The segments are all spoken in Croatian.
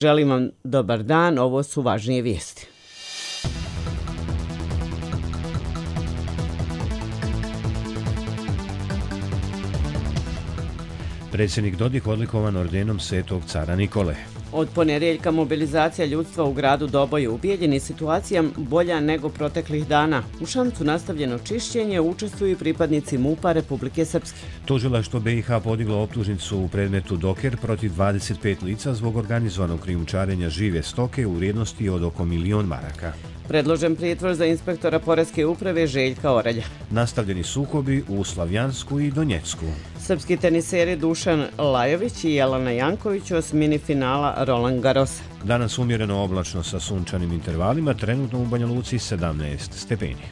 Želim vam dobar dan, ovo su važnije vijesti. Predsjednik Dodik odlikovan ordenom Svetog cara Nikole. Od ponedjeljka mobilizacija ljudstva u gradu Doboj u Bijeljini situacija bolja nego proteklih dana. U Šamcu nastavljeno čišćenje, učestvuju i pripadnici MUP-a Republike Srpske. Tužilaštvo BiH podiglo optužnicu u predmetu Doker protiv 25 lica zbog organizovanog krijumčarenja žive stoke u vrijednosti od oko 1.000.000 maraka. Predložen pritvor za inspektora Poreske uprave Željka Orelja. Nastavljeni sukobi u Slavjansku i Donjecku. Srpski teniseri Dušan Lajović i Jelena Janković u osmini finala Roland Garrosa. Danas umjereno oblačno sa sunčanim intervalima, trenutno u Banja Luci 17 stepeni.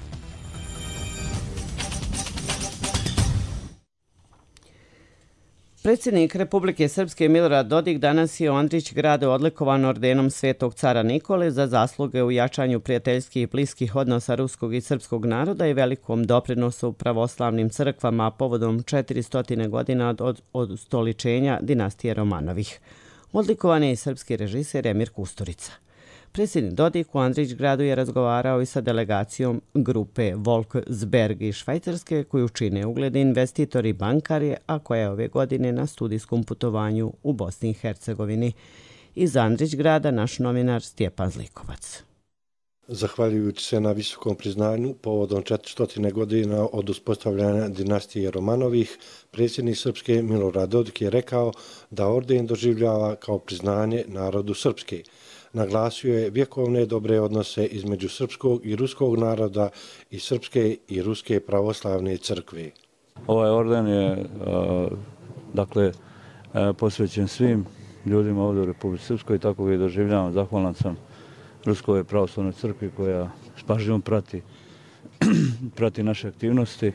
Predsjednik Republike Srpske Milorad Dodik danas je u Andrićgradu odlikovan ordenom Svetog cara Nikole za zasluge u jačanju prijateljskih i bliskih odnosa ruskog i srpskog naroda i velikom doprinosu pravoslavnim crkvama povodom 400 godina od ustoličenja dinastije Romanovih. Odlikovan je i srpski režiser Emir Kusturica. Predsjednik Dodik u Andrićgradu je razgovarao i sa delegacijom grupe Volksberg iz Švajcarske koju čine ugledni investitori i bankari, a koja je ove godine na studijskom putovanju u Bosni i Hercegovini. Iz Andrićgrada naš novinar Stjepan Zlikovac. Zahvaljujući se na visokom priznanju povodom 400 godina od uspostavljanja dinastije Romanovih, predsjednik Srpske Milorad Dodik je rekao da orden doživljava kao priznanje narodu Srpske. Naglasio je vjekovne dobre odnose između srpskog i ruskog naroda i srpske i ruske pravoslavne crkve. Ovaj orden je posvećen svim ljudima ovdje u Republici Srpskoj i tako ga i doživljavam. Zahvalan sam Ruskoj pravoslavnoj crkvi koja s pažnjom prati naše aktivnosti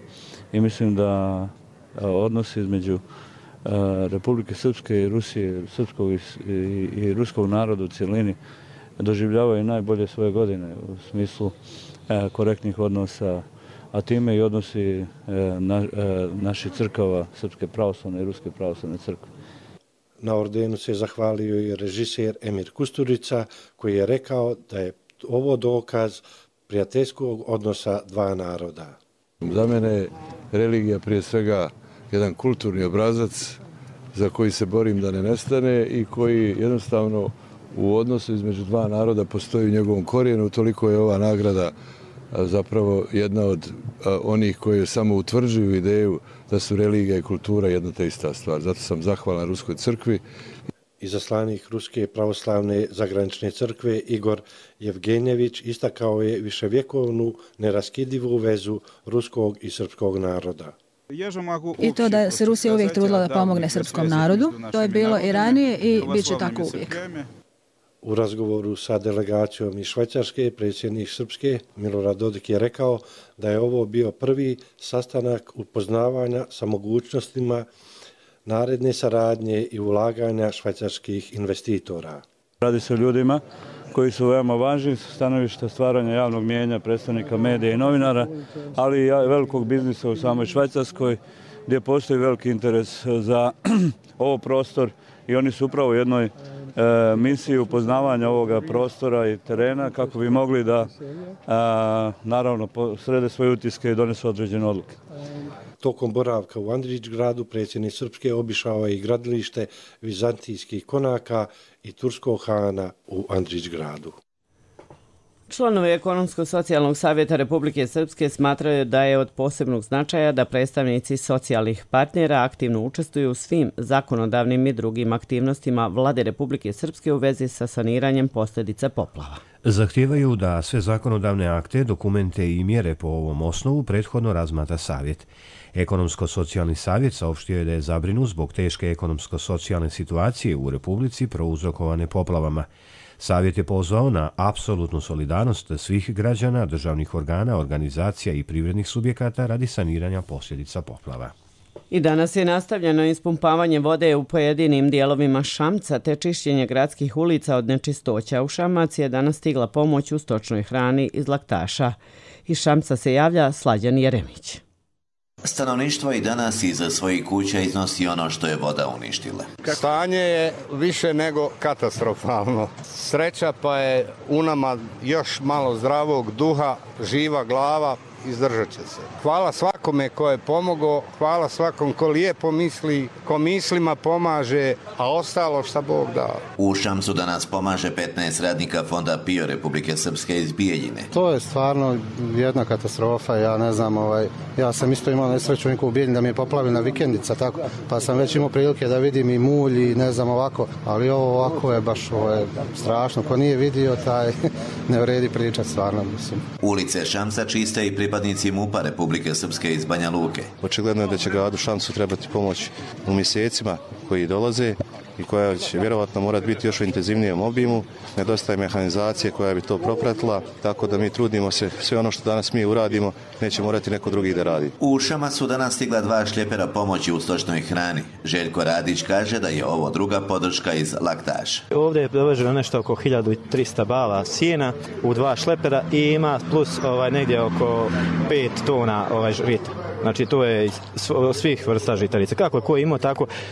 i mislim da odnosi između Republike Srpske i Rusije, srpskog i ruskog naroda u cjelini doživljavaju najbolje svoje godine u smislu korektnih odnosa, a time i odnosi naših crkava, Srpske pravoslavne i Ruske pravoslavne crkve. Na ordenu se zahvalio i režiser Emir Kusturica koji je rekao da je ovo dokaz prijateljskog odnosa dva naroda. Za mene je religija prije svega jedan kulturni obrazac za koji se borim da ne nestane i koji jednostavno u odnosu između dva naroda postoji u njegovom korijenu. Toliko je ova nagrada zapravo jedna od onih koje samo utvrđuju ideju da su religija i kultura jedna te ista stvar. Zato sam zahvalan Ruskoj crkvi. Izaslanik Ruske pravoslavne zagranične crkve Igor Jevgenjević istakao je viševjekovnu neraskidivu vezu ruskog i srpskog naroda. I to da se Rusija uvijek trudila da pomogne srpskom narodu, to je bilo i ranije i bit će tako uvijek. U razgovoru sa delegacijom iz Švajcarske predsjednik Srpske Milorad Dodik je rekao da je ovo bio prvi sastanak upoznavanja sa mogućnostima naredne saradnje i ulaganja švajcarskih investitora. Radi se o ljudima koji su veoma važni sa stanovišta stvaranja javnog mijenja, predstavnika medija i novinara, ali i velikog biznisa u samoj Švajcarskoj gdje postoji veliki interes za ovo prostor i oni su upravo u jednoj misiji upoznavanja ovoga prostora i terena kako bi mogli da naravno srede svoje utiske i donesu određene odluke. Tokom boravka u Andrićgradu predsjednik Srpske obišao je i gradilište vizantijskih konaka i turskog hana u Andrićgradu. Članovi Ekonomsko-socijalnog savjeta Republike Srpske smatraju da je od posebnog značaja da predstavnici socijalnih partnera aktivno učestvuju u svim zakonodavnim i drugim aktivnostima Vlade Republike Srpske u vezi sa saniranjem posljedica poplava. Zahtijevaju da sve zakonodavne akte, dokumente i mjere po ovom osnovu prethodno razmatra savjet. Ekonomsko-socijalni savjet saopštio je da je zabrinut zbog teške ekonomsko-socijalne situacije u Republici prouzrokovane poplavama. Savjet je pozvao na apsolutnu solidarnost svih građana, državnih organa, organizacija i privrednih subjekata radi saniranja posljedica poplava. I danas je nastavljeno ispumpavanje vode u pojedinim dijelovima Šamca te čišćenje gradskih ulica od nečistoća. U Šamac je danas stigla pomoć u stočnoj hrani iz Laktaša. Iz Šamca se javlja Slađan Jeremić. Stanovništvo i danas iza svojih kuća iznosi ono što je voda uništila. Stanje je više nego katastrofalno. Sreća pa je u nama još malo zdravog duha, živa glava, izdržat će se. Hvala svakome ko je pomogao, hvala svakom ko lijepo misli, ko mislima pomaže, a ostalo šta Bog dao. U Šamcu danas pomaže 15 radnika Fonda PIO Republike Srpske iz Bijeljine. To je stvarno jedna katastrofa, ja ne znam, ja sam isto imao nesreću u Bijeljini da mi je poplavljena vikendica, tako, pa sam već imao prilike da vidim i mulj i ne znam ovako, ali ovo ovako je baš strašno, ko nije vidio taj ne vredi pričat stvarno, mislim. Ulice Šamca čiste i pripadnici MUP-a Republike Srpske iz Banja Luke. Očigledno je da će gradu Šamcu trebati pomoć u mjesecima koji dolaze i koja će vjerovatno morati biti još u intenzivnijem obimu. Nedostaje mehanizacije koja bi to propratila, tako da mi trudimo se sve ono što danas mi uradimo neće morati neko drugi da radi. U Šamac su danas stigla 2 šljepera pomoći u stočnoj hrani. Željko Radić kaže da je ovo druga podrška iz Laktaša. Ovdje je doveženo nešto oko 1300 bala sjena u 2 šlepera i ima plus negdje oko 5 tona žita. Znači to je svih vrsta žitarica. Kako je ko imao,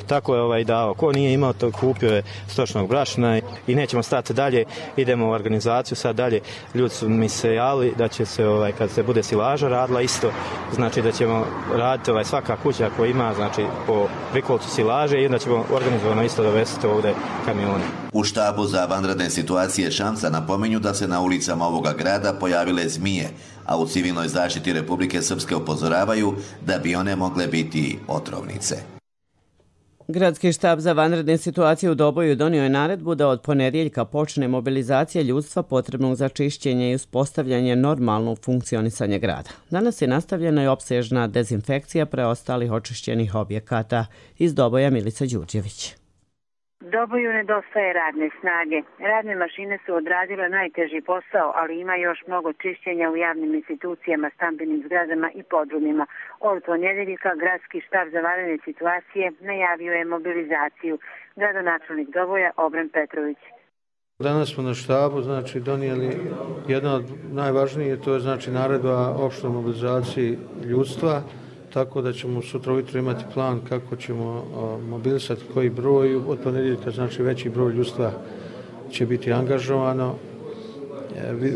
tako je dao. Ko nije imao, to kupio je stočnog brašna i nećemo stati dalje. Idemo u organizaciju sad dalje. Ljudi su mi se javili da će se, kad se bude silaža radila isto, znači da ćemo raditi svaka kuća koja ima, znači po prikolcu silaže i onda ćemo organizovano isto dovesti ovdje kamione. U štabu za vanredne situacije Šamca napominju da se na ulicama ovoga grada pojavile zmije, a u civilnoj zaštiti Republike Srpske upozoravaju da bi one mogle biti otrovnice. Gradski štab za vanredne situacije u Doboju donio je naredbu da od ponedjeljka počne mobilizacija ljudstva potrebnog za čišćenje i uspostavljanje normalnog funkcionisanja grada. Danas je nastavljena i opsežna dezinfekcija preostalih očišćenih objekata. Iz Doboja Milica Đurđević. Doboju nedostaje radne snage. Radne mašine su odradile najteži posao, ali ima još mnogo čišćenja u javnim institucijama, stambenim zgradama i podrumima. Od ponedjeljka Gradski štab za vanredne situacije najavio je mobilizaciju. Gradonačelnik Doboja Obran Petrović. Danas smo na štabu donijeli jedna od najvažnije, to je naredba opštoj mobilizaciji ljudstva, tako da ćemo sutra ujutro imati plan kako ćemo mobilisati koji broj. Od ponedjeljka veći broj ljudstva će biti angažovano.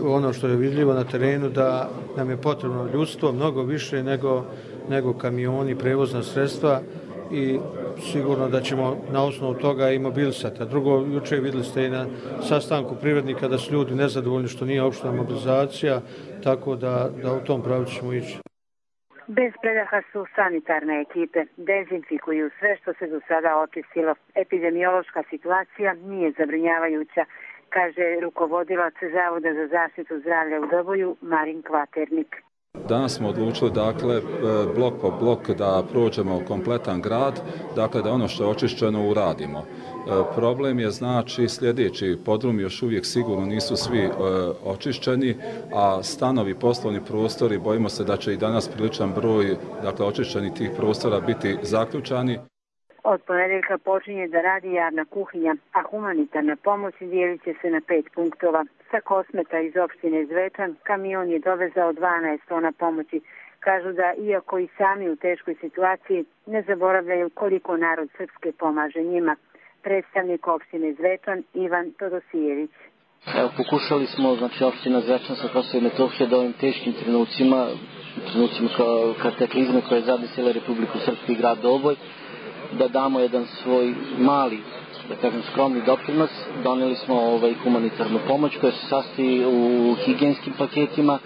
Ono što je vidljivo na terenu da nam je potrebno ljudstvo mnogo više nego kamioni, prevozna sredstva i sigurno da ćemo na osnovu toga i mobilisati. A drugo, jučer vidjeli ste i na sastanku privrednika da su ljudi nezadovoljni što nije opšta mobilizacija, tako da u tom pravcu ćemo ići. Bez predaha su sanitarne ekipe. Dezinfikuju sve što se do sada očistilo. Epidemiološka situacija nije zabrinjavajuća, kaže rukovodilac Zavoda za zaštitu zdravlja u Doboju Marin Kvaternik. Danas smo odlučili, blok po blok da prođemo kompletan grad, da ono što je očišćeno uradimo. Problem je sljedeći, podrumi još uvijek sigurno nisu svi očišćeni, a stanovi, poslovni prostori, bojimo se da će i danas priličan broj očišćenih tih prostora biti zaključani. Od ponedjeljka počinje da radi javna kuhinja, a humanitarna pomoć dijelit će se na 5 punktova. Sa Kosmeta iz opštine Zvečan kamion je dovezao 12 tona pomoći. Kažu da iako i sami u teškoj situaciji ne zaboravljaju koliko narod Srpske pomaže njima. Predstavnik opštine Zvečan Ivan Todosijević. Pokušali smo, opština Zvečan sa Kosova i Metohije da ovim teškim trenucima kataklizme koje je zadesila Republiku Srpsku i grad Doboj, da damo jedan svoj mali, skromni doprinos. Doneli smo humanitarnu pomoć koja se sastoji u higijenskim paketima,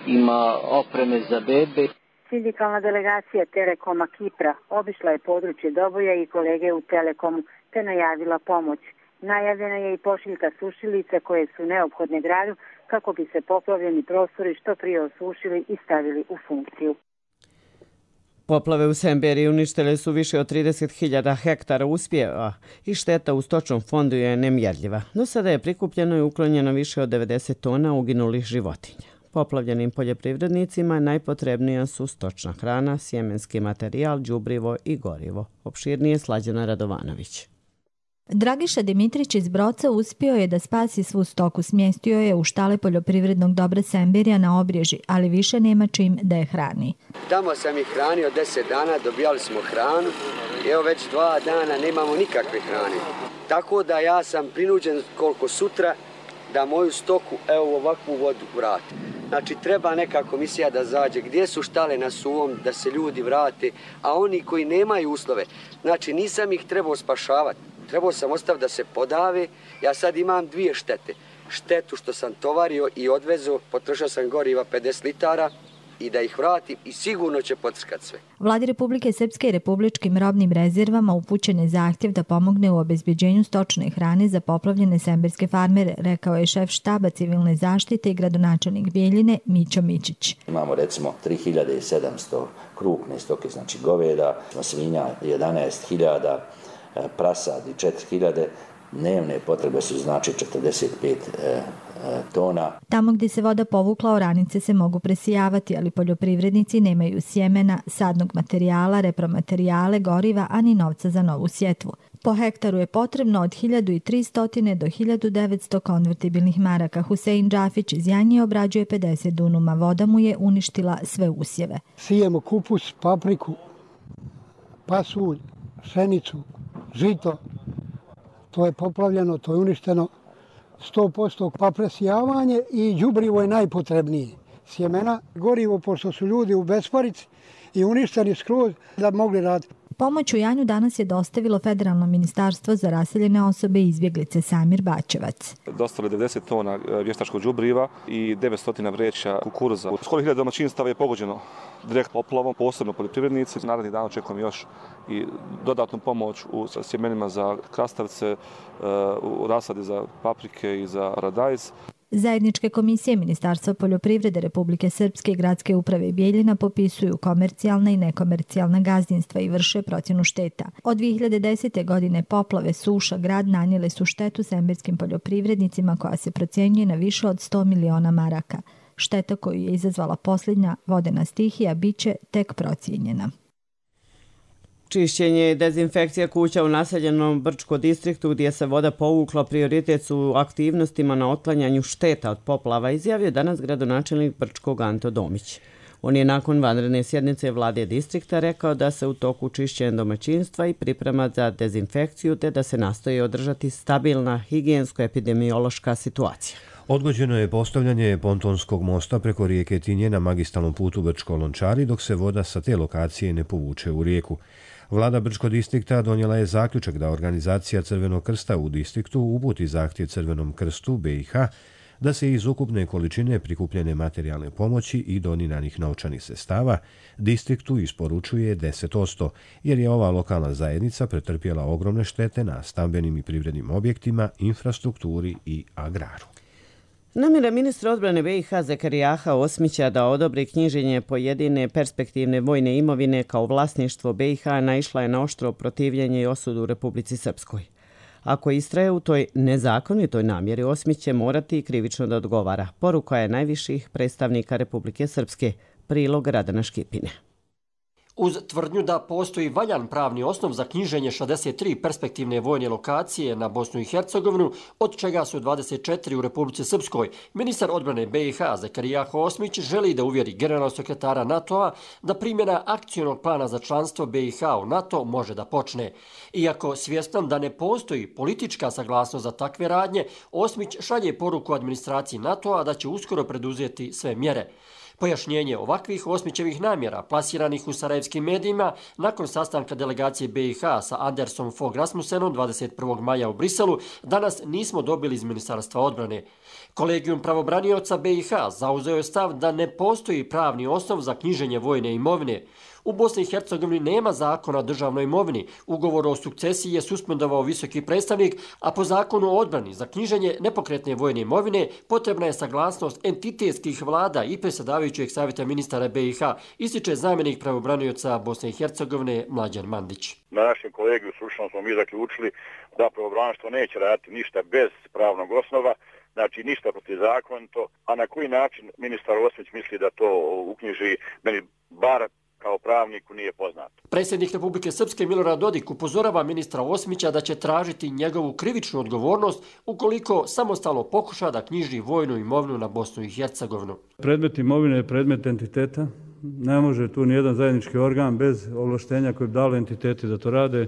ima opreme za bebe. Sindikalna delegacija Telekoma Kipra obišla je područje Doboja i kolege u Telekomu te najavila pomoć. Najavljena je i pošiljka sušilica koje su neophodne gradu kako bi se poplavljeni prostori što prije osušili i stavili u funkciju. Poplave u Semberiji uništile su više od 30.000 hektara usjeva i šteta u stočnom fondu je nemjerljiva. Do sada je prikupljeno i uklonjeno više od 90 tona uginulih životinja. Poplavljenim poljoprivrednicima najpotrebnija su stočna hrana, sjemenski materijal, đubrivo i gorivo. Opširnije Slađana Radovanović. Dragiša Dimitrić iz Broca uspio je da spasi svu stoku. Smjestio je u štale poljoprivrednog dobra Semberija na Obrježi, ali više nema čim da je hrani. Tamo sam ih hranio 10 dana, dobijali smo hranu i evo već 2 dana nemamo nikakve hrane. Tako da ja sam prinuđen koliko sutra da moju stoku evo ovakvu vodu vrati. Znači treba neka komisija da zađe gdje su štale na suvom da se ljudi vrate, a oni koji nemaju uslove, znači nisam ih trebao spašavati. Trebao sam ostaviti da se podave. Ja sad imam 2 štete. Štetu što sam tovario i odvezo, potrošio sam goriva 50 litara i da ih vratim i sigurno će potrskati sve. Vladi Republike Srpske i republičkim robnim rezervama upućen je zahtjev da pomogne u obezbeđenju stočne hrane za poplavljene semberske farmere, rekao je šef štaba civilne zaštite i gradonačelnik Bijeljine Mićo Mičić. Imamo recimo 3700 krupne stoke, znači goveda, svinja 11.000, prasadi 4.000, dnevne potrebe su znači 45 tona. Tamo gdje se voda povukla, oranice se mogu presijavati, ali poljoprivrednici nemaju sjemena, sadnog materijala, repromaterijale, goriva, ani novca za novu sjetvu. Po hektaru je potrebno od 1300 do 1900 konvertibilnih maraka. Husein Džafić iz Janje obrađuje 50 dunuma. Voda mu je uništila sve usjeve. Sijemo kupus, papriku, pasulj, pšenicu, žito, to je poplavljeno, to je uništeno 100%, pa presijavanje i đubrivo je najpotrebnije. Sjemena, gorivo, pošto su ljudi u besparici i uništeni skroz da bi mogli raditi. Pomoć u Janju danas je dostavilo Federalno ministarstvo za raseljene osobe i izbjeglice Samir Bačevac. Dostali 90 tona vještačkog đubriva i 900 vreća kukuruza. Skoro 1000 domaćinstava je pogođeno direkt poplavom, posebno poljoprivrednici. Narednih dana očekujemo još i dodatnu pomoć u sjemenima za krastavce, u rasadi za paprike i za paradajz. Zajedničke komisije Ministarstva poljoprivrede Republike Srpske i Gradske uprave Bijeljina popisuju komercijalna i nekomercijalna gazdinstva i vrše procjenu šteta. Od 2010. godine poplave, suša, grad nanijele su štetu semberskim poljoprivrednicima koja se procjenjuje na više od 100 miliona maraka. Šteta koju je izazvala posljednja vodena stihija biće tek procijenjena. Čišćenje i dezinfekcija kuća u naseljenom Brčko distriktu gdje se voda povukla prioritet su aktivnostima na otklanjanju šteta od poplava, izjavio danas gradonačelnik Brčkog Anto Domić. On je nakon vanredne sjednice vlade distrikta rekao da se u toku čišćenja domaćinstva i priprema za dezinfekciju te da se nastoji održati stabilna higijensko-epidemiološka situacija. Odgođeno je postavljanje pontonskog mosta preko rijeke Tinje na magistralnom putu Brčko-Lončari dok se voda sa te lokacije ne povuče u rijeku. Vlada Brčko distrikta donijela je zaključak da organizacija Crvenog krsta u distriktu uputi zahtjev Crvenom krstu BiH da se iz ukupne količine prikupljene materijalne pomoći i doniranih novčanih sredstava distriktu isporučuje 10%, jer je ova lokalna zajednica pretrpjela ogromne štete na stambenim i privrednim objektima, infrastrukturi i agraru. Namjera ministra odbrane BiH Zekerijaha Osmića da odobri knjiženje pojedine perspektivne vojne imovine kao vlasništvo BiH naišla je na oštro protivljenje i osudu u Republici Srpskoj. Ako istraje u toj nezakonitoj namjeri, Osmić će morati krivično da odgovara. Poruka je najviših predstavnika Republike Srpske, prilog Radana Škipine. Uz tvrdnju da postoji valjan pravni osnov za knjiženje 63 perspektivne vojne lokacije na Bosnu i Hercegovinu, od čega su 24 u Republici Srpskoj, ministar odbrane BiH Zekerijaho Osmić želi da uvjeri generalnog sekretara NATO-a da primjena akcionog plana za članstvo BiH u NATO može da počne. Iako svjestan da ne postoji politička saglasnost za takve radnje, Osmić šalje poruku administraciji NATO-a da će uskoro preduzeti sve mjere. Pojašnjenje ovakvih Osmićevih namjera, plasiranih u sarajevskim medijima, nakon sastanka delegacije BiH sa Andersom Fogh Rasmussenom 21. maja u Briselu, danas nismo dobili iz Ministarstva odbrane. Kolegijum pravobranioca BiH zauzeo je stav da ne postoji pravni osnov za knjiženje vojne imovine. U Bosni i Hercegovini nema zakona o državnoj imovini. Ugovor o sukcesiji je suspendovao visoki predstavnik, a po zakonu o odbrani za knjiženje nepokretne vojne imovine potrebna je saglasnost entitetskih vlada i predsjedavajućeg savjeta ministara BiH, ističe zamjenik pravobranioca Bosne i Hercegovine Mlađan Mandić. Na našem kolegiju stručno smo mi zaključili da pravobraništvo neće raditi ništa bez pravnog osnova, znači ništa protizakonito, a na koji način ministar Osmić misli da to uknjiži, meni bar kao pravniku nije poznato. Predsjednik Republike Srpske Milorad Dodik upozorava ministra Osmića da će tražiti njegovu krivičnu odgovornost ukoliko samostalno pokuša da knjiži vojnu imovinu na Bosnu i Hercegovinu. Predmet imovine je predmet entiteta. Ne može tu nijedan zajednički organ bez ovlaštenja koji bi dali entiteti da to rade.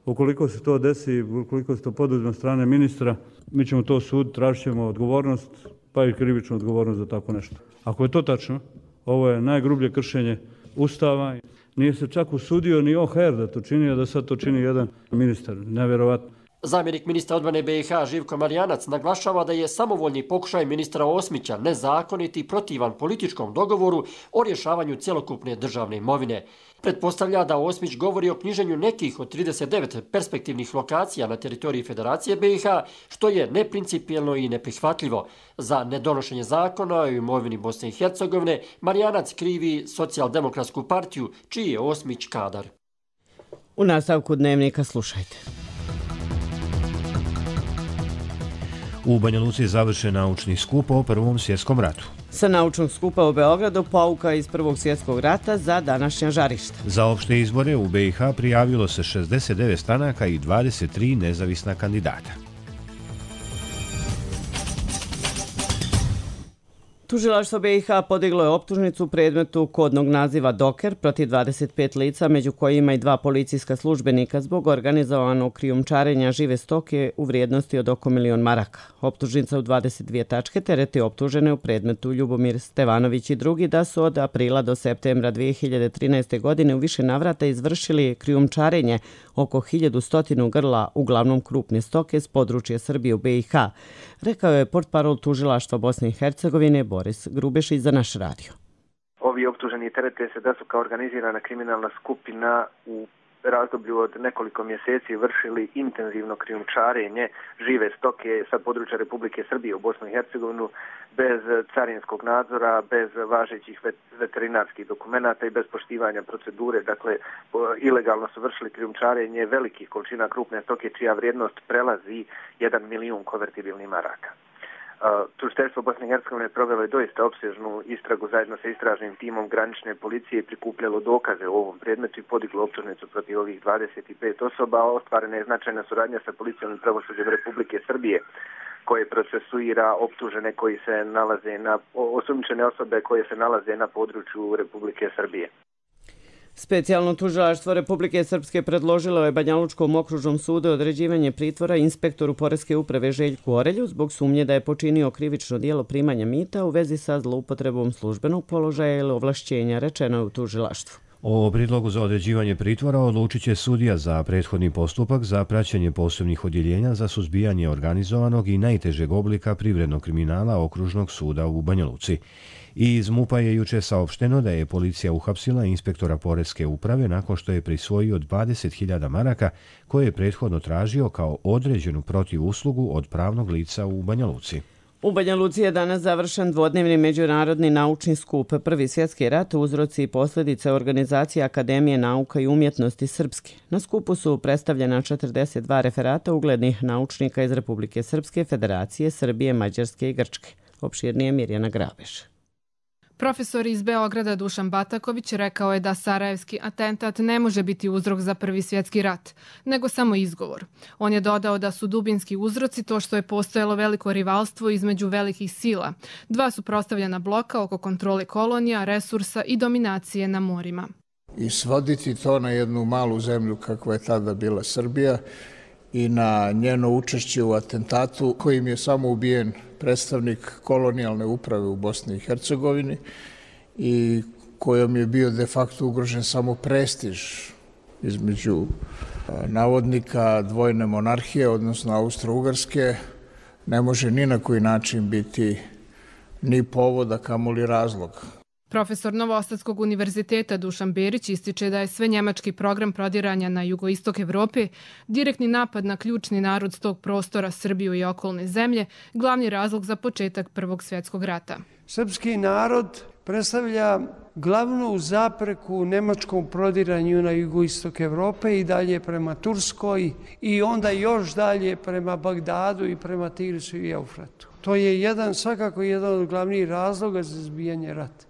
Ukoliko se to desi, ukoliko se to poduzme od strane ministra, mi ćemo to sud, tražit ćemo odgovornost, pa i krivičnu odgovornost za tako nešto. Ako je to tačno, ovo je najgrublje kršenje Ustava. Nije se čak usudio ni OHR da to čini, a da sad to čini jedan ministar. Nevjerovatno. Zamjenik ministra odbrane BiH Živko Marijanac naglašava da je samovoljni pokušaj ministra Osmića nezakonit i protivan političkom dogovoru o rješavanju cjelokupne državne imovine. Pretpostavlja da Osmić govori o knjiženju nekih od 39 perspektivnih lokacija na teritoriji Federacije BiH, što je neprincipijelno i neprihvatljivo. Za nedonošenje zakona o imovini Bosne i Hercegovine Marijanac krivi Socijaldemokratsku partiju, čiji je Osmić kadar. U nastavku dnevnika slušajte. U Banja Luci je završen naučni skup o Prvom svjetskom ratu. Sa naučnog skupa u Beogradu pouka iz Prvog svjetskog rata za današnja žarišta. Za opšte izbore u BiH prijavilo se 69 stranaka i 23 nezavisna kandidata. Tužilaštvo BiH podiglo je optužnicu u predmetu kodnog naziva Doker protiv 25 lica, među kojima i 2 policijska službenika zbog organizovanog krijumčarenja žive stoke u vrijednosti od oko 1 milion maraka. Optužnica u 22 tačke tereti optužene u predmetu Ljubomir Stevanović i drugi da su od aprila do septembra 2013. godine u više navrata izvršili krijumčarenje oko 1100 grla, uglavnom krupne stoke, s područja Srbije u BiH, rekao je portparol Tužilaštva Bosne i Hercegovine Boris Grubešić za naš radio. Ovi optuženi terete se da su kao organizirana kriminalna skupina u razdoblju od nekoliko mjeseci vršili intenzivno krijumčarenje žive stoke sa područja Republike Srbije u Bosnu i Hercegovinu bez carinskog nadzora, bez važećih veterinarskih dokumenata i bez poštivanja procedure. Dakle, ilegalno su vršili krijumčarenje velikih količina krupne stoke čija vrijednost prelazi 1 milion konvertibilnih maraka. Tužiteljstvo Bosne i Hercegovine provelo je doista opsežnu istragu zajedno sa istražnim timom granične policije i prikupljalo dokaze u ovom predmetu i podiglo optužnicu protiv ovih 25 osoba. Ostvarena je značajna suradnja sa policijom i pravosuđem Republike Srbije, koje procesuira optužene koji se nalaze osumnjičene osobe koje se nalaze na području Republike Srbije. Specijalno tužilaštvo Republike Srpske predložilo je Banjalučkom okružnom sudu određivanje pritvora inspektoru Poreske uprave Željku Orelju zbog sumnje da je počinio krivično djelo primanja mita u vezi sa zloupotrebom službenog položaja ili ovlašćenja, rečeno je u tužilaštvu. O prijedlogu za određivanje pritvora odlučit će sudija za prethodni postupak za praćenje posebnih odjeljenja za suzbijanje organizovanog i najtežeg oblika privrednog kriminala Okružnog suda u Banja Luci. Iz MUP-a je juče saopšteno da je policija uhapsila inspektora Poreske uprave nakon što je prisvojio 20.000 maraka koje je prethodno tražio kao određenu protivuslugu od pravnog lica u Banja Luci. U Banja Luci je danas završen dvodnevni međunarodni naučni skup Prvi svjetski rat, uzroci i posljedice organizacije Akademije nauka i umjetnosti Srpske. Na skupu su predstavljena 42 referata uglednih naučnika iz Republike Srpske, Federacije, Srbije, Mađarske i Grčke. Opširnije Mirjana Grabeš. Profesor iz Beograda Dušan Bataković rekao je da sarajevski atentat ne može biti uzrok za Prvi svjetski rat, nego samo izgovor. On je dodao da su dubinski uzroci to što je postojalo veliko rivalstvo između velikih sila, dva suprotstavljena bloka oko kontrole kolonija, resursa i dominacije na morima. I svoditi to na jednu malu zemlju kakva je tada bila Srbija i na njeno učešće u atentatu kojim je samo ubijen predstavnik kolonijalne uprave u Bosni i Hercegovini i kojom je bio de facto ugrožen samo prestiž između navodnika dvojne monarhije, odnosno Austro-Ugarske, ne može ni na koji način biti ni povod, a kamoli razlog. Profesor Novosadskog univerziteta Dušan Berić ističe da je sve njemački program prodiranja na jugoistok Evrope, direktni napad na ključni narod s tog prostora, Srbiju i okolne zemlje, glavni razlog za početak Prvog svjetskog rata. Srpski narod predstavlja glavnu zapreku nemačkom prodiranju na jugoistok Evrope i dalje prema Turskoj i onda još dalje prema Bagdadu i prema Tigrisu i Eufratu. To je svakako jedan od glavnih razloga za izbijanje rata.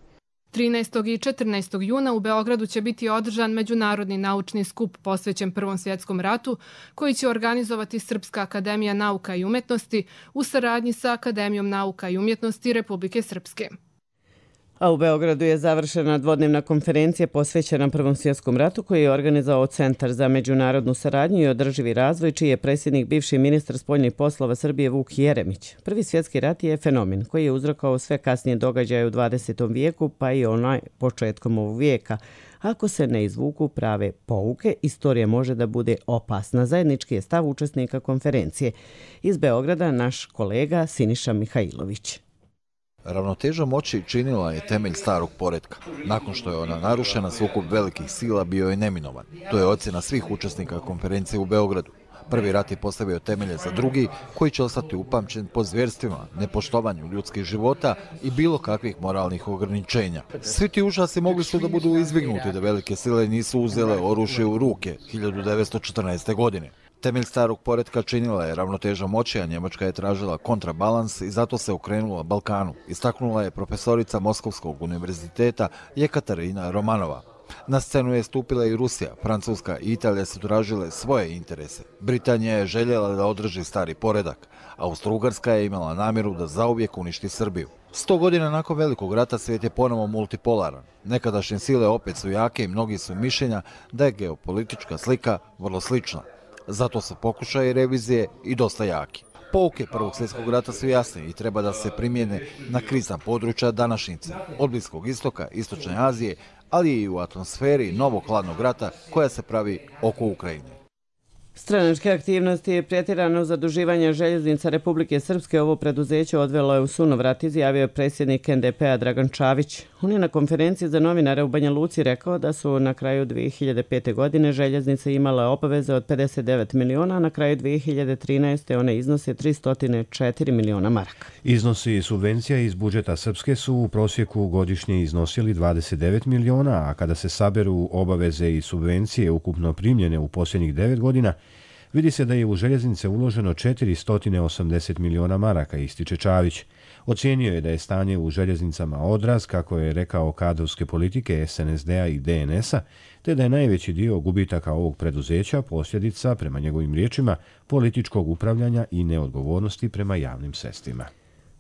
13. i 14. juna u Beogradu će biti održan međunarodni naučni skup posvećen Prvom svjetskom ratu, koji će organizovati Srpska akademija nauka i umjetnosti u saradnji sa Akademijom nauka i umjetnosti Republike Srpske. A u Beogradu je završena dvodnevna konferencija posvećena Prvom svjetskom ratu koji je organizovao Centar za međunarodnu saradnju i održivi razvoj, čiji je predsjednik bivši ministar spoljnih poslova Srbije Vuk Jeremić. Prvi svjetski rat je fenomen koji je uzrokovao sve kasnije događaje u 20. vijeku, pa i onaj početkom ovog vijeka. Ako se ne izvuku prave pouke, istorija može da bude opasna. Zajednički je stav učesnika konferencije. Iz Beograda naš kolega Siniša Mihajlović. Ravnoteža moći činila je temelj starog poretka. Nakon što je ona narušena, sukob velikih sila bio je neminovan. To je ocjena svih učesnika konferencije u Beogradu. Prvi rat je postavio temelje za drugi, koji će ostati upamćen po zvjerstvima, nepoštovanju ljudskih života i bilo kakvih moralnih ograničenja. Svi ti užasi mogli su da budu izbjegnuti da velike sile nisu uzele oružje u ruke 1914. godine. Temelj starog poretka činila je ravnoteža moći, a Njemačka je tražila kontrabalans i zato se okrenula Balkanu, istaknula je profesorica Moskovskog univerziteta Jekaterina Romanova. Na scenu je stupila i Rusija, Francuska i Italija su tražile svoje interese. Britanija je željela da održi stari poredak. Austro-Ugarska je imala namjeru da zauvijek uništi Srbiju. 100 godina nakon Velikog rata svijet je ponovo multipolaran. Nekadašnje sile opet su jake i mnogi su mišljenja da je geopolitička slika vrlo slična. Zato su pokušaji revizije i dosta jaki. Pouke Prvog svjetskog rata su jasne i treba da se primijene na krizna područja današnjice, od Bliskog istoka, Istočne Azije, ali i u atmosferi novog hladnog rata koja se pravi oko Ukrajine. Stranačke aktivnosti i pretjerano zaduživanje željeznica Republike Srpske ovo preduzeće odvelo je u sunovrat, izjavio je predsjednik NDP-a Dragan Čavić. On je na konferenciji za novinare u Banja Luci rekao da su na kraju 2005. godine željeznice imale obaveze od 59 miliona, a na kraju 2013. one iznose 304 miliona maraka. Iznosi subvencija iz budžeta Srpske su u prosjeku godišnje iznosili 29 miliona, a kada se saberu obaveze i subvencije ukupno primljene u posljednjih 9 godina, vidi se da je u željeznice uloženo 480 miliona maraka, ističe Čavić. Ocijenio je da je stanje u željeznicama odraz, kako je rekao, kadrovske politike SNSD-a i DNS-a, te da je najveći dio gubitaka ovog preduzeća posljedica, prema njegovim riječima, političkog upravljanja i neodgovornosti prema javnim sredstvima.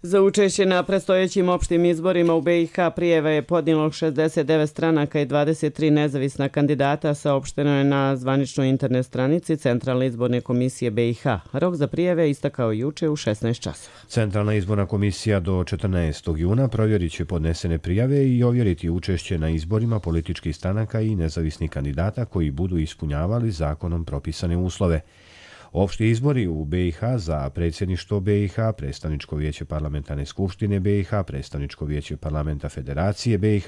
Za učešće na predstojećim opštim izborima u BiH prijave je podnijelo 69 stranaka i 23 nezavisna kandidata, saopšteno je na zvaničnoj internet stranici Centralne izborne komisije BiH. Rok za prijave istakao juče u 16 časova. Centralna izborna komisija do 14. juna provjerit će podnesene prijave i ovjeriti učešće na izborima političkih stranaka i nezavisnih kandidata koji budu ispunjavali zakonom propisane uslove. Opšti izbori u BiH za predsjedništvo BiH, predstavničko vijeće parlamentarne skupštine BiH, predstavničko vijeće parlamenta Federacije BiH,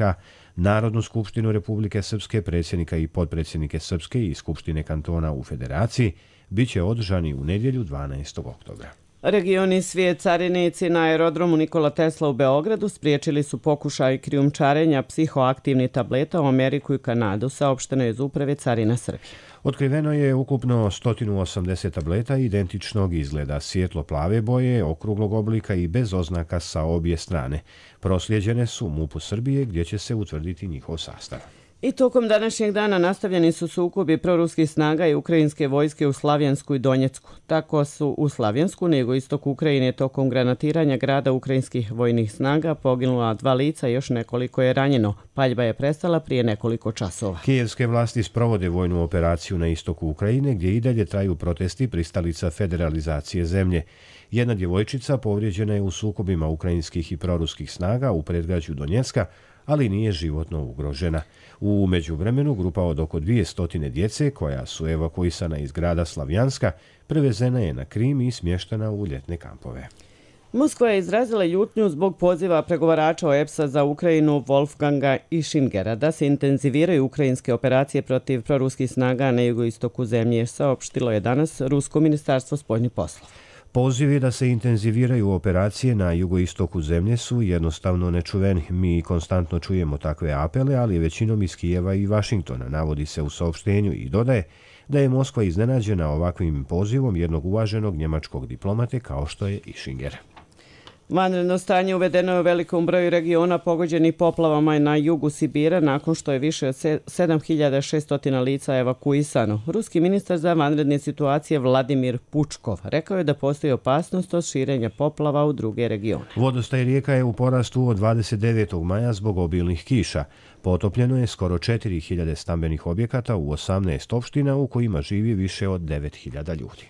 Narodnu skupštinu Republike Srpske, predsjednika i potpredsjednike Srpske i Skupštine kantona u Federaciji, bit će održani u nedjelju 12. oktobra. Regioni svijet carinici na aerodromu Nikola Tesla u Beogradu spriječili su pokušaj krijumčarenja psihoaktivnih tableta u Ameriku i Kanadu, saopšteno je iz Uprave carina Srbije. Otkriveno je ukupno 180 tableta identičnog izgleda, svjetlo-plave boje, okruglog oblika i bez oznaka sa obje strane. Proslijeđene su MUP-u Srbije gdje će se utvrditi njihov sastav. I tokom današnjeg dana nastavljeni su sukobi proruskih snaga i ukrajinske vojske u Slavjansku i Donjecku. Tako su u Slavjansku, na jugoistoku Ukrajine, tokom granatiranja grada ukrajinskih vojnih snaga poginula 2 lica i još nekoliko je ranjeno. Paljba je prestala prije nekoliko časova. Kijevske vlasti sprovode vojnu operaciju na istoku Ukrajine, gdje i dalje traju protesti pristalica federalizacije zemlje. Jedna djevojčica povrijeđena je u sukobima ukrajinskih i proruskih snaga u predgrađu Donjecka, ali nije životno ugrožena. U međuvremenu grupa od oko 200 djece, koja su evakuisana iz grada Slavjanska, prevezena je na Krim i smještena u ljetne kampove. Moskva je izrazila ljutnju zbog poziva pregovarača OEBS-a za Ukrajinu Wolfganga Ischingera da se intenziviraju ukrajinske operacije protiv proruskih snaga na jugoistoku zemlje, saopštilo je danas Rusko ministarstvo spoljnih poslova. Pozivi da se intenziviraju operacije na jugoistoku zemlje su jednostavno nečuveni. Mi konstantno čujemo takve apele, ali većinom iz Kijeva i Vašingtona, navodi se u saopštenju i dodaje da je Moskva iznenađena ovakvim pozivom jednog uvaženog njemačkog diplomate kao što je Ischinger. Vanredno stanje uvedeno je u velikom broju regiona pogođenih poplavama na jugu Sibira nakon što je više od 7600 lica evakuisano. Ruski ministar za vanredne situacije Vladimir Pučkov rekao je da postoji opasnost od širenja poplava u druge regione. Vodostaj rijeka je u porastu od 29. maja zbog obilnih kiša. Potopljeno je skoro 4000 stambenih objekata u 18 opština u kojima živi više od 9000 ljudi.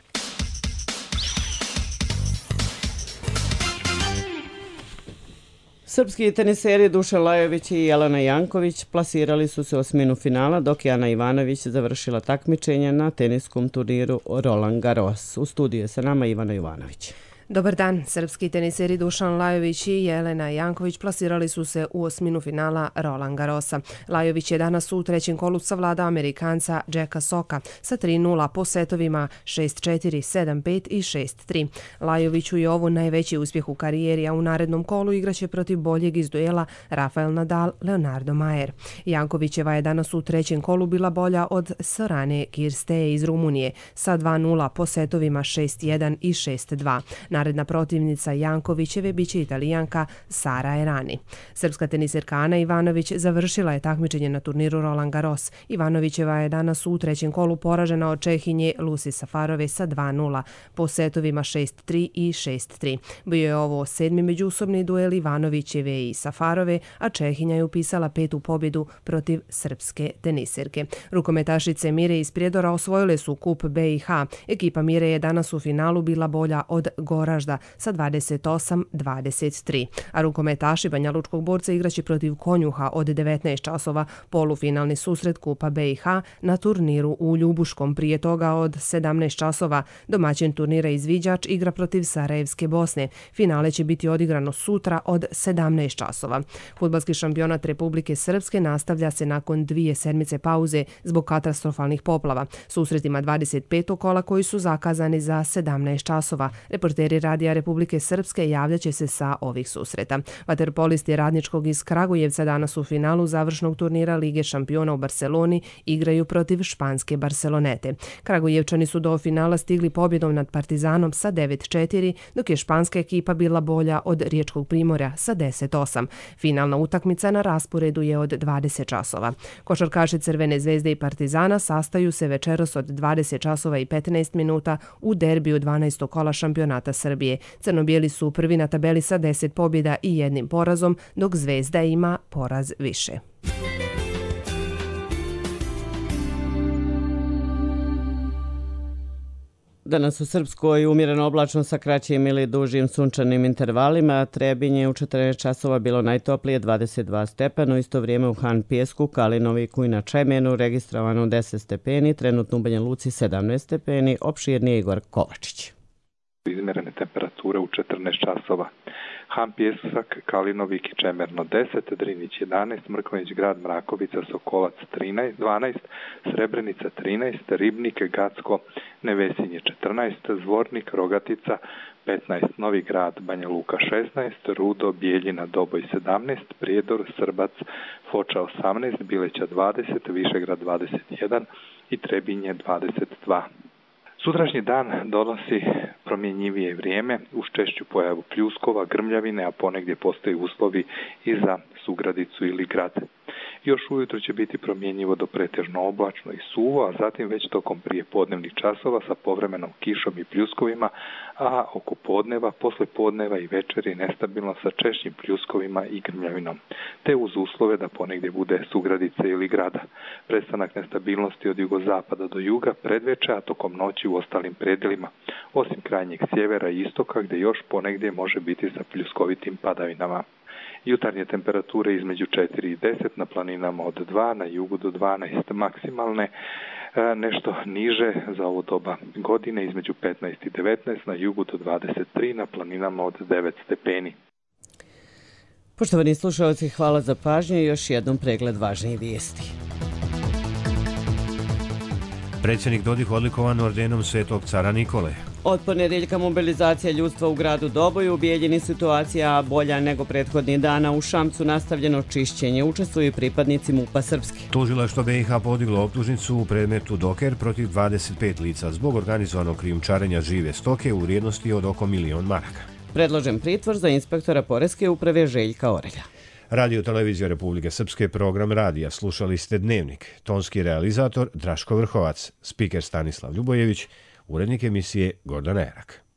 Srpski teniseri Dušan Lajović i Jelena Janković plasirali su se u osminu finala, dok je Ana Ivanović završila takmičenje na teniskom turniru Roland Garros. U studiju je sa nama Ivana Jovanović. Dobar dan. Srpski teniseri Dušan Lajović i Jelena Janković plasirali su se u osminu finala Roland Garrosa. Lajović je danas u trećem kolu savladao Amerikanca Jacka Socka sa 3:0 po setovima 6-4, 7-5 i 6-3. Lajoviću je ovo najveći uspjeh u karijeri, a u narednom kolu igraće protiv boljeg iz duela Rafael Nadal, Leonardo Mayer. Jankovićeva je danas u trećem kolu bila bolja od Sorane Kirsteje iz Rumunije sa 2:0 po setovima 6-1 i 6-2. Naredna protivnica Jankovićeve biće Italijanka Sara Errani. Srpska teniserka Ana Ivanović završila je takmičenje na turniru Roland Garros. Ivanovićeva je danas u trećem kolu poražena od Čehinje Lucy Safarove sa 2:0 po setovima 6-3 i 6-3. Bio je ovo 7. međusobni duel Ivanovićeve i Safarove, a Čehinja je upisala 5. pobjedu protiv srpske teniserke. Rukometašice Mire iz Prijedora osvojile su kup BiH. Ekipa Mire je danas u finalu bila bolja od Goražda sa 28-23. A rukometaši Banja Lučkog Borca igraće protiv Konjuha od 19 časova polufinalni susret Kupa BiH na turniru u Ljubuškom. Prije toga od 17 časova domaćin turnira Izviđač igra protiv Sarajevske Bosne. Finale će biti odigrano sutra od 17 časova. Fudbalski šampionat Republike Srpske nastavlja se nakon 2 sedmice pauze zbog katastrofalnih poplava. Susretima 25. kola koji su zakazani za 17 časova. Reporteri Radija Republike Srpske javljaće se sa ovih susreta. Vaterpolisti Radničkog iz Kragujevca danas u finalu završnog turnira Lige šampiona u Barceloni igraju protiv španske Barcelonete. Kragujevčani su do finala stigli pobjedom nad Partizanom sa 9-4, dok je španska ekipa bila bolja od Riječkog Primorja sa 10-8. Finalna utakmica na rasporedu je od 20 časova. Košarkaši Crvene zvezde i Partizana sastaju se večeras od 20 časova i 15 minuta u derbiju 12. kola šampionata Srbije. Crno-bijeli su prvi na tabeli sa 10 pobjeda i 1 porazom, dok Zvezda ima poraz više. Danas u Srpskoj umjereno oblačno sa kraćim ili dužim sunčanim intervalima. Trebinje u 14 časova bilo najtoplije 22 stepena, u isto vrijeme u Han Pijesku, Kalinoviku i na Čemenu registrovano 10 stepeni, trenutno u Banja Luci 17 stepeni, opširnije Igor Kovačić. Izmjerene temperature u 14 časova. Han Pijesak, Kalinovik i Čemerno 10, Drinić 11, Mrkonjić Grad, Mrakovica, Sokolac 12, Srebrenica 13, Ribnik, Gacko, Nevesinje 14, Zvornik, Rogatica 15, Novi Grad, Banja Luka 16, Rudo, Bijeljina, Doboj 17, Prijedor, Srbac, Foča 18, Bileća 20, Višegrad 21 i Trebinje 22. Sutrašnji dan donosi promjenjivije vrijeme uz češću pojavu pljuskova, grmljavine, a ponegdje postoji uslovi i za sugradicu ili grad. Još ujutro će biti promjenjivo do pretežno oblačno i suvo, a zatim već tokom prije podnevnih časova sa povremenom kišom i pljuskovima, a oko podneva, posle podneva i večeri nestabilno sa češćim pljuskovima i grmljavinom, te uz uslove da ponegdje bude sugradice ili grada. Prestanak nestabilnosti od jugozapada do juga predveče, a tokom noći u ostalim predjelima, osim krajnjeg sjevera i istoka gdje još ponegdje može biti sa pljuskovitim padavinama. Jutarnje temperature između 4 i 10, na planinama od 2, na jugu do 12 maksimalne, nešto niže za ovo doba godine između 15 i 19, na jugu do 23, na planinama od 9 stepeni. Poštovani slušalci, hvala za pažnju i još jednom pregled važnijih vijesti. Predsjednik Dodik odlikovan ordenom Svetog cara Nikole. Od ponedjeljka mobilizacija ljudstva u gradu Doboju, u Bijeljini situacija bolja nego prethodnih dana, u Šamcu nastavljeno čišćenje, učestvuju i pripadnici MUP-a Srpske. Tužilaštvo BiH podiglo optužnicu u predmetu Doker protiv 25 lica zbog organizovanog krijumčarenja žive stoke u vrijednosti od oko 1.000.000 maraka. Predložen pritvor za inspektora Poreske uprave Željka Orelja. Radio Televizija Republike Srpske, program radija. Slušali ste Dnevnik. Tonski realizator Draško Vrhovac, spiker Stanislav Ljubojević, urednik emisije Gordana Erak.